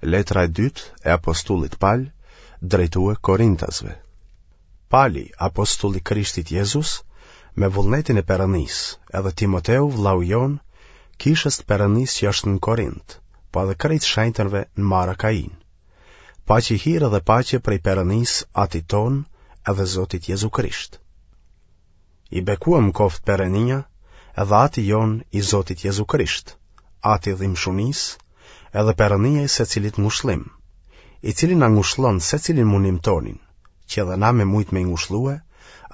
Letra e dytë e apostullit Pal drejtue Korintasve. Pali, apostull i Krishtit Jezus, me vullnetin e Perëndisë, edhe Timoteu, vllau jonë, kishës të Perëndisë që është në Korint, po edhe krejt shenjtërve në mbarë Akainë. Paçi hir edhe paqe prej Perëndisë, Atit tonë, edhe Zotit Jezu Krisht. I bekuem koftë Perënia, edhe Ati jonë i Zotit Jezu Krisht, Ati i dhimshunisë, edhe Perënia i secilit ngushllim, i cili na ngushllon secilin munim tonin, që edhe na me mujtë me i ngushllue,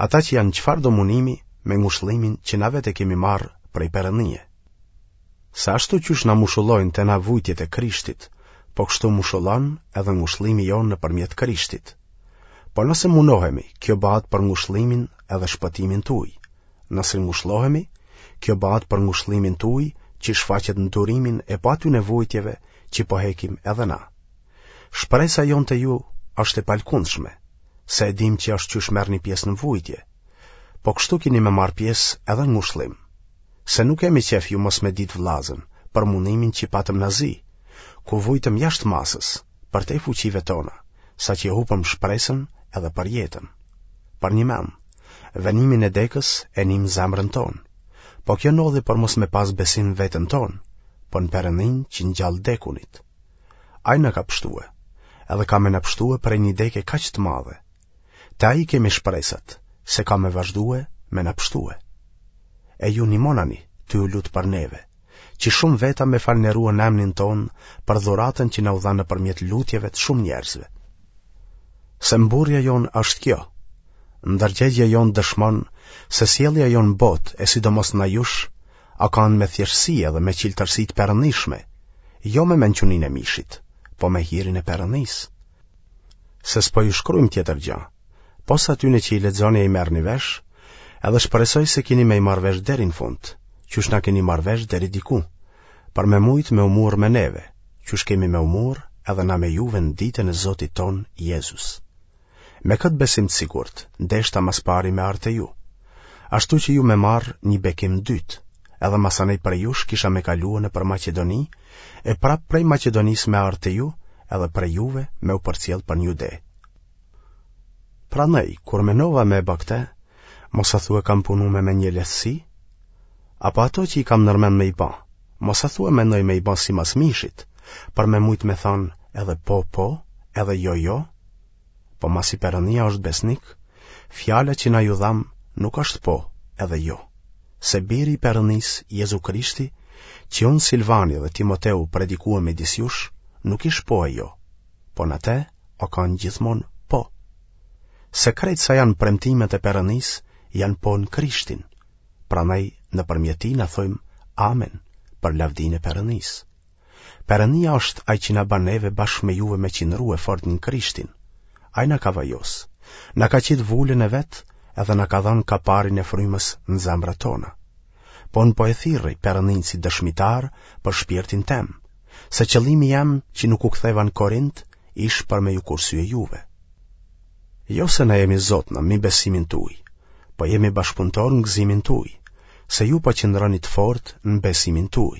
ata që janë çfarëdo munimi me ngushllimin që na vetë e kemi marrë prej Perënie. Se ashtu qysh na mushullojnë te na vujtjet e Krishtit, po kështu mushullon edhe ngushllimi jonë nëpërmjet Krishtit. Po nëse munohemi, kjo bahet për ngushllimin edhe shpëtimin tuj. Nëse ngushllohemi, kjo bahet për ngushllimin tuj që shfaqet në durimin e po atyne vujtjeve që po hekim edhe na. Shpresa jonë te ju është e palkundshme, se e dimë që ashtu qysh merrni pjesë në vujtje, po kështu kini me marrë pjesë edhe në ngushllim. Se nuk kemi qef ju mos me ditë vllazën, për munimin që patëm në Azi, ku vujtëm jashtë masës, përtej fuqive tona, saqë e hupëm shpresën edhe për jetën. Përnjëmend, venimin e dekës e nimë n'zemrën tonë. Po kjo ndodhi për mos me pas besim n'veten tonë, po në Perëndinë që ngjall t'dekunit. Ai na ka pshtue, edhe ka me na pshtue prej një deke kaq të madhe, Te ai kemi shpresat, se ka me vazhdue me na pshtue. E ju nimonani, tu u lutë për neve, që shumë veta me falënderue n'emnin tonë për dhuratën që na u dha nëpërmjet lutjeve të shumë njerëzve. Se mburrja jonë është kjo, ndërgjegjja jonë dëshmon se sjellja jonë n'botë e sidomos ndaj jush, a kanë me thjeshtësi edhe me çiltërsi të perëndishme, jo me mençuninë e mishit, po me hirin e Perëndisë. Se s'po ju shkrujmë tjetër gja, pos atyne që i lexoni e i merrni vesh, edhe shpresoj se kini me i marrë vesh deri në fund, qysh na keni marrë vesh deri diku, për me mujtë me u murrë me neve, qysh kemi me u murrë edhe na me juve në ditën e Zotit tonë Jezus. Me këtë besim të sigurt, deshta ma s'pari me ardhë te ju, ashtu që ju me marrë një bekim dytë, edhe masanej prej jush kisha me kalue nëpër Maqedoni, e prapë prej Maqedonisë me ardhë te ju, edhe prej juve me u përcjellë për në Jude. Prandaj, kur menova me e ba këte, mos a thue kam punu me mendjelehtësi? Apo ato që i kam nërmend me i ba, mos a thue mendoj me i ba simas mishit, për me mujtë me thanë edhe po, po, edhe jo, jo? Po masi Perëndia është besnik, fjala që na ju dhamë nuk është po edhe jo. Se biri i Perëndisë, Jezu Krishti, që unë Silvani dhe Timoteu predikuam midis jush, nuk ish po e jo, po në te o kanë gjithmonë po. Se krejt sa janë premtimet e Perëndisë, janë po në Krishtin, prandaj nëpërmjet tij na thojmë amen për lavdinë e Perëndisë. Perëndia është ai që na ban neve bashkë me juve me qindrue fort në Krishtin. Ai na ka vajos, na ka qitë vulën e vet edhe na ka dhanë kaparin e frymës në zemrat tona. Po unë po e thirri Perëndinë si dëshmitar për shpirtin tem, se qëllimi jem që nuk u ktheva në Korint ish për me ju kursye juve. Jo se na jemi zotna mi besimin tuj, po jemi bashkëpunëtorë në gëzimin tuj, se ju po qëndroni të fortë në besimin tuj.